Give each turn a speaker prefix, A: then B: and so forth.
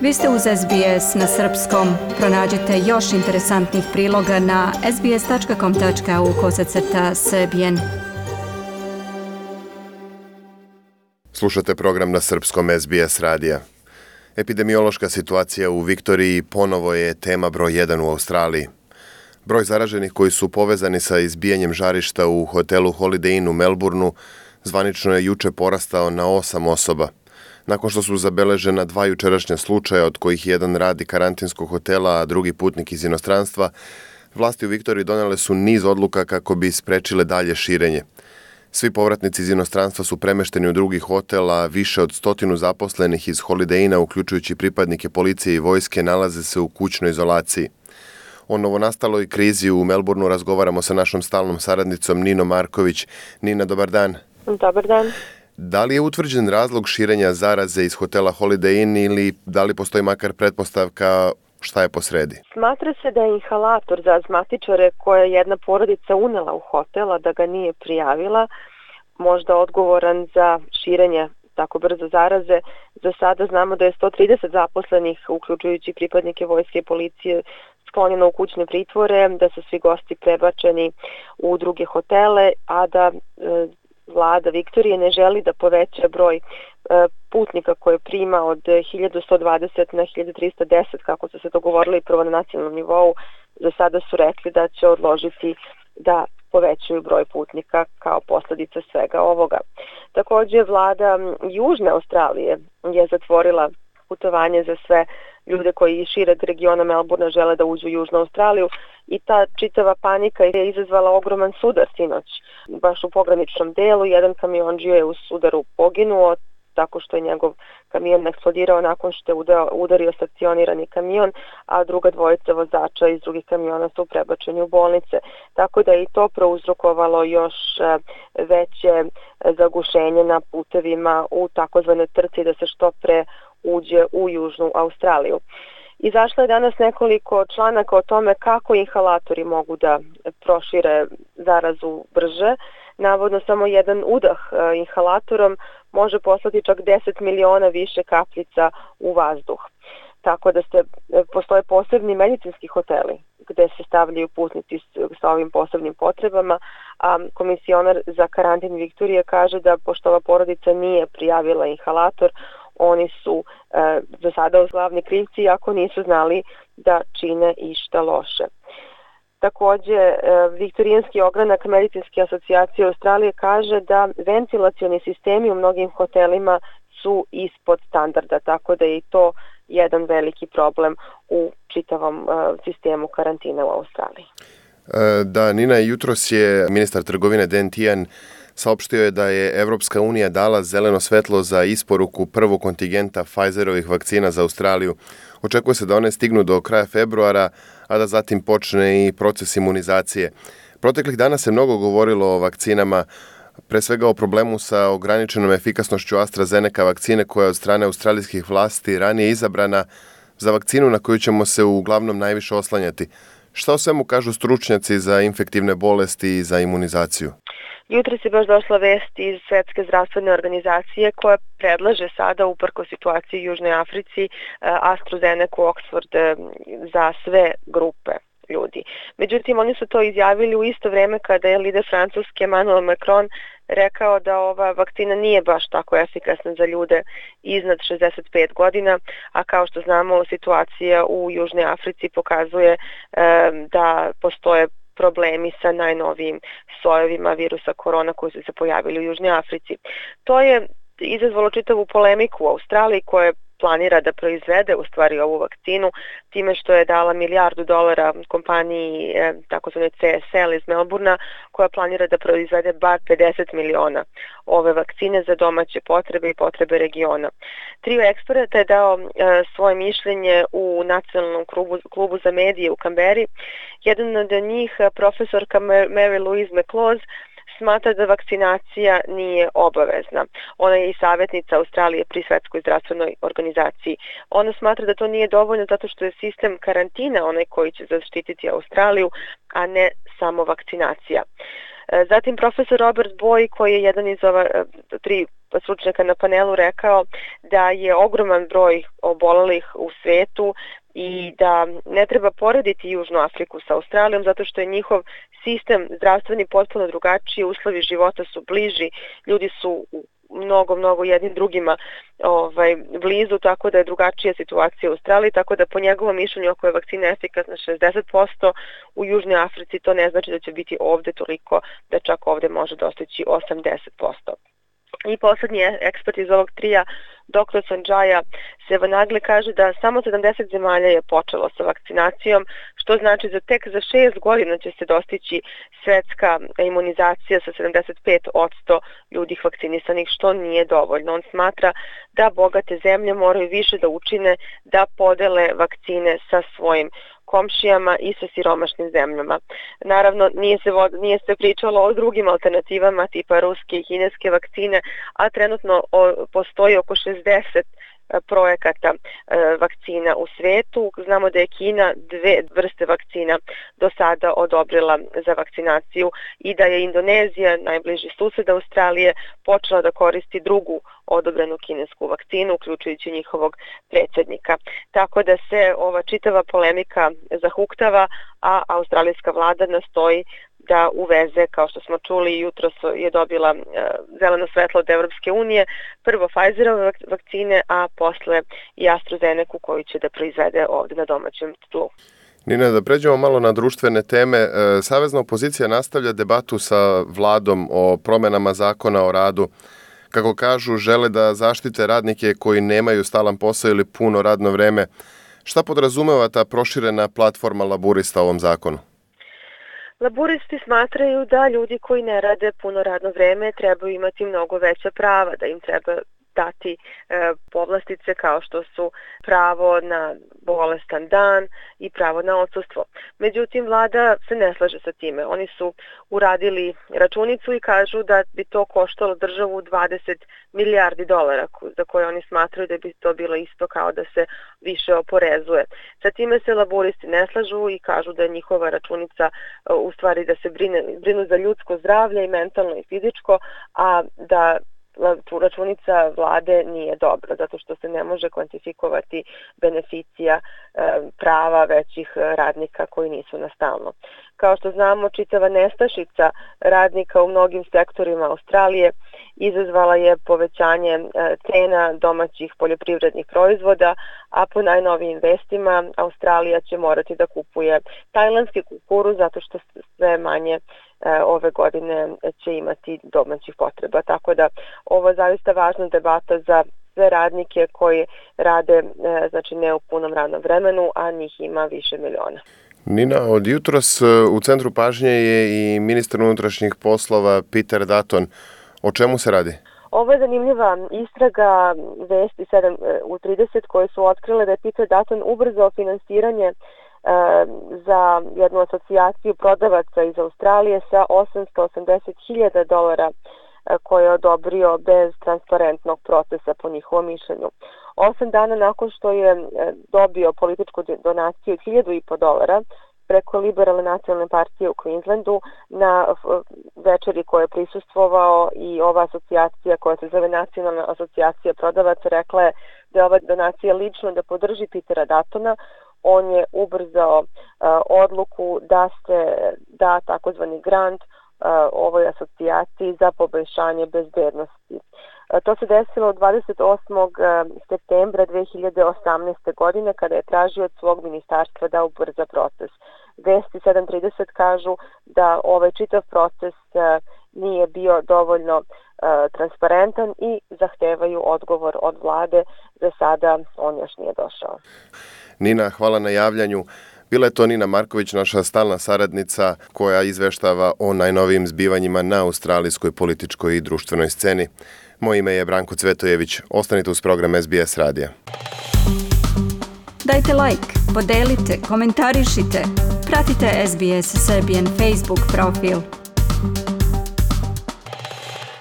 A: Vi ste uz SBS na srpskom. Pronađite još interesantnih priloga na sbs.com.au/srbijen.
B: Slušate program na srpskom SBS radija. Epidemiološka situacija u Viktoriji ponovo je tema broj 1 u Australiji. Broj zaraženih koji su povezani sa izbijanjem žarišta u hotelu Holiday Inn u Melbourneu zvanično je juče porastao na 8 osoba. Nakon što su zabeležena 2 jučerašnja slučaja, od kojih jedan radi karantinskog hotela, a drugi putnik iz inostranstva, vlasti u Viktoriji donele su niz odluka kako bi sprečile dalje širenje. Svi povratnici iz inostranstva su premešteni u drugi hotel, a više od 100 zaposlenih iz Holiday Inna, uključujući pripadnike policije i vojske, nalaze se u kućnoj izolaciji. O novonastaloj krizi u Melbourneu razgovaramo sa našom stalnom saradnicom Ninom Marković. Nina, dobar dan.
C: Dobar dan.
B: Da li je utvrđen razlog širenja zaraze iz hotela Holiday Inn ili da li postoji makar pretpostavka šta je posredi?
C: Smatra se da je inhalator za astmatičare koje je jedna porodica unela u hotel, a da ga nije prijavila, možda odgovoran za širenje tako brzo zaraze. Za sada znamo da je 130 zaposlenih, uključujući pripadnike vojske i policije, sklonjeno u kućne pritvore, da su svi gosti prebačeni u druge hotele, a da vlada Viktorije ne želi da poveća broj putnika koje prima od 1120 na 1310, kako su se dogovorili prvo na nacionalnom nivou. Za sada su rekli da će odložiti da povećaju broj putnika kao posljedica svega ovoga. Također, vlada Južne Australije je zatvorila putovanje za sve ljude koji iz šireg regiona Melbournea žele da uđu u Južnu Australiju i ta čitava panika je izazvala ogroman sudar sinoć. Baš u pograničnom delu jedan kamionđija je u sudaru poginuo tako što je njegov kamion eksplodirao nakon što je udario stacionirani kamion, a druga dvojica vozača iz drugih kamiona su prebačeni u bolnice. Tako da je i to prouzrokovalo još veće zagušenje na putevima u takozvanoj trci da se što pre uđe u Južnu Australiju. Izašlo je danas nekoliko članaka o tome kako inhalatori mogu da prošire zarazu brže. Navodno samo jedan udah inhalatorom može poslati čak 10 miliona više kapljica u vazduh. Tako da postoje posebni medicinski hoteli gde se stavljaju putnici sa ovim posebnim potrebama, a komisionar za karantin Viktorije kaže da pošto ova porodica nije prijavila inhalator, oni su za sada glavni krivci ako nisu znali da čine išta loše. Također, Viktorijanski ogranak Medicinske asocijacije Australije kaže da ventilacioni sistemi u mnogim hotelima su ispod standarda, tako da je i to jedan veliki problem u čitavom sistemu karantina u Australiji.
B: Da, Nina, jutros je ministar trgovine Dan Tehan saopštio je da je Evropska unija dala zeleno svetlo za isporuku prvog kontingenta Pfizerovih vakcina za Australiju. Očekuje se da one stignu do kraja februara, a da zatim počne i proces imunizacije. Proteklih dana se mnogo govorilo o vakcinama, pre svega o problemu sa ograničenom efikasnošću AstraZeneca vakcine koja je od strane australijskih vlasti ranije izabrana za vakcinu na koju ćemo se uglavnom najviše oslanjati. Šta o svemu kažu stručnjaci za infektivne bolesti i za imunizaciju?
C: Jutros je baš došla vest iz Svetske zdravstvene organizacije koja predlaže sada, uprko situaciji u Južnoj Africi, AstraZeneca Oxford za sve grupe ljudi. Međutim, oni su to izjavili u isto vrijeme kada je lider Francuske Emmanuel Macron rekao da ova vakcina nije baš tako efikasna za ljude iznad 65 godina, a kao što znamo, situacija u Južnoj Africi pokazuje da postoje problemi sa najnovijim sojevima virusa korona koji su se pojavili u Južnoj Africi. To je izazvalo čitavu polemiku u Australiji koja planira da proizvede u stvari ovu vakcinu time što je dala $1 milijardu kompaniji takozvanoj CSL iz Melbournea koja planira da proizvede bar 50 miliona ove vakcine za domaće potrebe i potrebe regiona. Trio eksperata je dao svoje mišljenje u nacionalnom klubu za medije u Kamberi. Jedan od njih, profesorka Mary Louise McLaws, smatra da vakcinacija nije obavezna. Ona je i savjetnica Australije pri Svetskoj zdravstvenoj organizaciji. Ona smatra da to nije dovoljno zato što je sistem karantina onaj koji će zaštititi Australiju, a ne samo vakcinacija. Zatim profesor Robert Boy, koji je jedan iz ova tri stručnjaka na panelu rekao da je ogroman broj obolelih u svetu i da ne treba porediti Južnu Afriku sa Australijom zato što je njihov sistem zdravstveni potpuno drugačiji, uslovi života su bliži, ljudi su mnogo jednim drugima blizu, tako da je drugačija situacija u Australiji, tako da po njegovom mišljenju ako je vakcina efikasna 60%, u Južnoj Africi to ne znači da će biti ovde toliko da čak ovde može dostići 80%. I poslednji ekspert iz ovog trija, dr. Sanjaya Sevanagle, kaže da samo 70 zemalja je počelo sa vakcinacijom, što znači da tek za 6 godina će se dostići svetska imunizacija sa 75% ljudi vakcinisanih, što nije dovoljno. On smatra da bogate zemlje moraju više da učine da podele vakcine sa svojim komšijama i sa siromašnim zemljama. Naravno, nije se pričalo o drugim alternativama tipa ruske i kineske vakcine, a trenutno postoji oko 60 projekata vakcina u svetu. Znamo da je Kina 2 vrste vakcina do sada odobrila za vakcinaciju i da je Indonezija, najbliži sused Australije, počela da koristi drugu odobrenu kinesku vakcinu, uključujući njihovog predsjednika. Tako da se ova čitava polemika zahuktava, a australijska vlada nastoji da uveze, kao što smo čuli, jutros je dobila zeleno svetlo od Evropske unije, prvo Pfizerove vakcine, a posle i AstraZeneca koju će da proizvede ovde na domaćem tlu.
B: Nina, da pređemo malo na društvene teme. Savezna opozicija nastavlja debatu sa vladom o promenama zakona o radu. Kako kažu, žele da zaštite radnike koji nemaju stalan posao ili puno radno vreme. Šta podrazumeva ta proširena platforma laburista u ovom zakonu?
C: Laburisti smatraju da ljudi koji ne rade puno radno vreme trebaju imati mnogo veća prava, da im treba dati povlastice kao što su pravo na bolestan dan i pravo na odsustvo. Međutim, vlada se ne slaže sa time. Oni su uradili računicu i kažu da bi to koštalo državu 20 milijardi dolara, za koje oni smatraju da bi to bilo isto kao da se više oporezuje. Sa time se laburisti ne slažu i kažu da je njihova računica u stvari da se brinu za ljudsko zdravlje i mentalno i fizičko, a da računica vlade nije dobra, zato što se ne može kvantifikovati beneficija prava većih radnika koji nisu na stalno. Kao što znamo, čitava nestašica radnika u mnogim sektorima Australije izazvala je povećanje cena domaćih poljoprivrednih proizvoda, a po najnovijim vestima Australija će morati da kupuje tajlandski kukuruz zato što sve manje ove godine će imati domaćih potreba. Tako da ovo je zaista važna debata za sve radnike koji rade znači ne u punom radnom vremenu, a njih ima više miliona.
B: Nina, od jutros u centru pažnje je i ministar unutrašnjih poslova Peter Dutton. O čemu se radi?
C: Ovo je zanimljiva istraga Vesti 7/30 koje su otkrile da je Peter Dutton ubrzao finansiranje za jednu asocijaciju prodavaca iz Australije sa $880,000 koje je odobrio bez transparentnog procesa po njihovom mišljenju. 8 dana nakon što je dobio političku donaciju od $1,500 preko Liberalne nacionalne partije u Queenslandu na večeri koje je prisustvovao i ova asocijacija koja se zove Nacionalna asocijacija prodavaca rekla je da je ova donacija lično da podrži Petera Duttona. On je ubrzao odluku da se da takozvani grant ovoj asocijaciji za poboljšanje bezbednosti. To se desilo 28. septembra 2018. godine kada je tražio od svog ministarstva da ubrza proces. Vesti 7/30 kažu da ovaj čitav proces nije bio dovoljno transparentan i zahtevaju odgovor od vlade. Za sada on još nije došao.
B: Nina, hvala na javljanju. Bila je to Nina Marković, naša stalna saradnica koja izveštava o najnovijim zbivanjima na australijskoj političkoj i društvenoj sceni. Moje ime je Branko Cvetojević. Ostanite uz program SBS radija.
A: Dajte like, podelite, komentarišite. Pratite SBS Serbian Facebook profil.